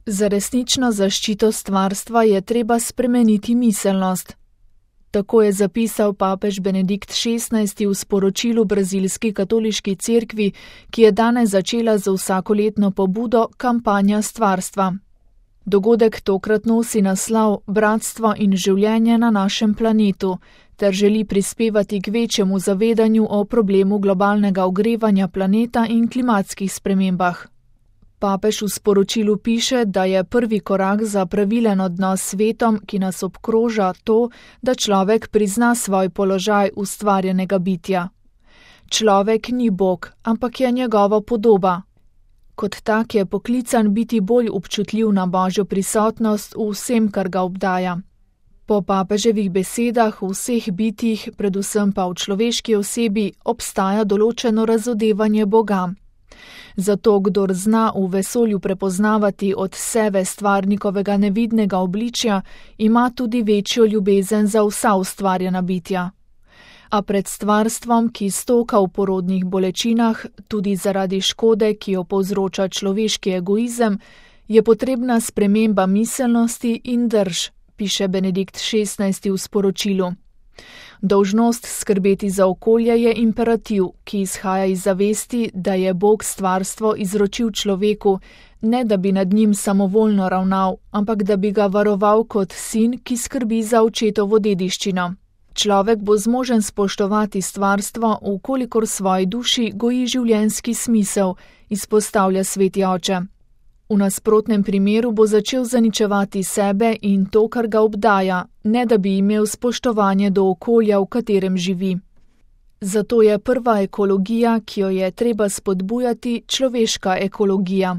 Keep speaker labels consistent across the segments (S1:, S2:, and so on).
S1: Za resnično zaščito stvarstva je treba spremeniti miselnost. Tako je zapisal papež Benedikt XVI v sporočilu brazilski katoliški cerkvi, ki je danes začela z vsakoletno pobudo Kampanja stvarstva. Dogodek tokrat nosi naslov Bratstvo in življenje na našem planetu ter želi prispevati k večjemu zavedanju o problemu globalnega ogrevanja planeta in klimatskih spremembah. Papež v sporočilu piše, da je prvi korak za pravilen odnos s svetom, ki nas obkroža, to, da človek prizna svoj položaj ustvarjenega bitja. Človek ni Bog, ampak je njegova podoba. Kot tak je poklican biti bolj občutljiv na Božjo prisotnost v vsem, kar ga obdaja. Po papeževih besedah v vseh bitjih, predvsem pa v človeški osebi, obstaja določeno razodevanje Boga. Zato, kdor zna v vesolju prepoznavati od sebe stvarnikovega nevidnega obličja, ima tudi večjo ljubezen za vsa ustvarjena bitja. A pred stvarstvom, ki stoka v porodnih bolečinah, tudi zaradi škode, ki jo povzroča človeški egoizem, je potrebna sprememba miselnosti in drž, piše Benedikt XVI v sporočilu. Dolžnost skrbeti za okolje je imperativ, ki izhaja iz zavesti, da je Bog stvarstvo izročil človeku, ne da bi nad njim samovoljno ravnal, ampak da bi ga varoval kot sin, ki skrbi za očetovo dediščino. Človek bo zmožen spoštovati stvarstvo, vkolikor svoji duši goji življenjski smisel, izpostavlja sveti oče. V nasprotnem primeru bo začel zaničevati sebe in to, kar ga obdaja, ne da bi imel spoštovanje do okolja, v katerem živi. Zato je prva ekologija, ki jo je treba spodbujati, človeška ekologija.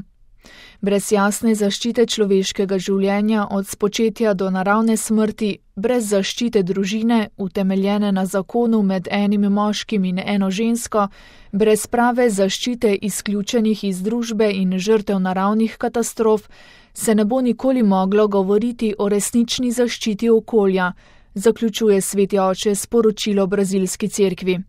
S1: Brez jasne zaščite človeškega življenja od spočetja do naravne smrti, brez zaščite družine, utemeljene na zakonu med enim moškim in eno žensko, brez prave zaščite izključenih iz družbe in žrtev naravnih katastrof, se ne bo nikoli moglo govoriti o resnični zaščiti okolja, zaključuje sveti oče sporočilo brazilski cerkvi.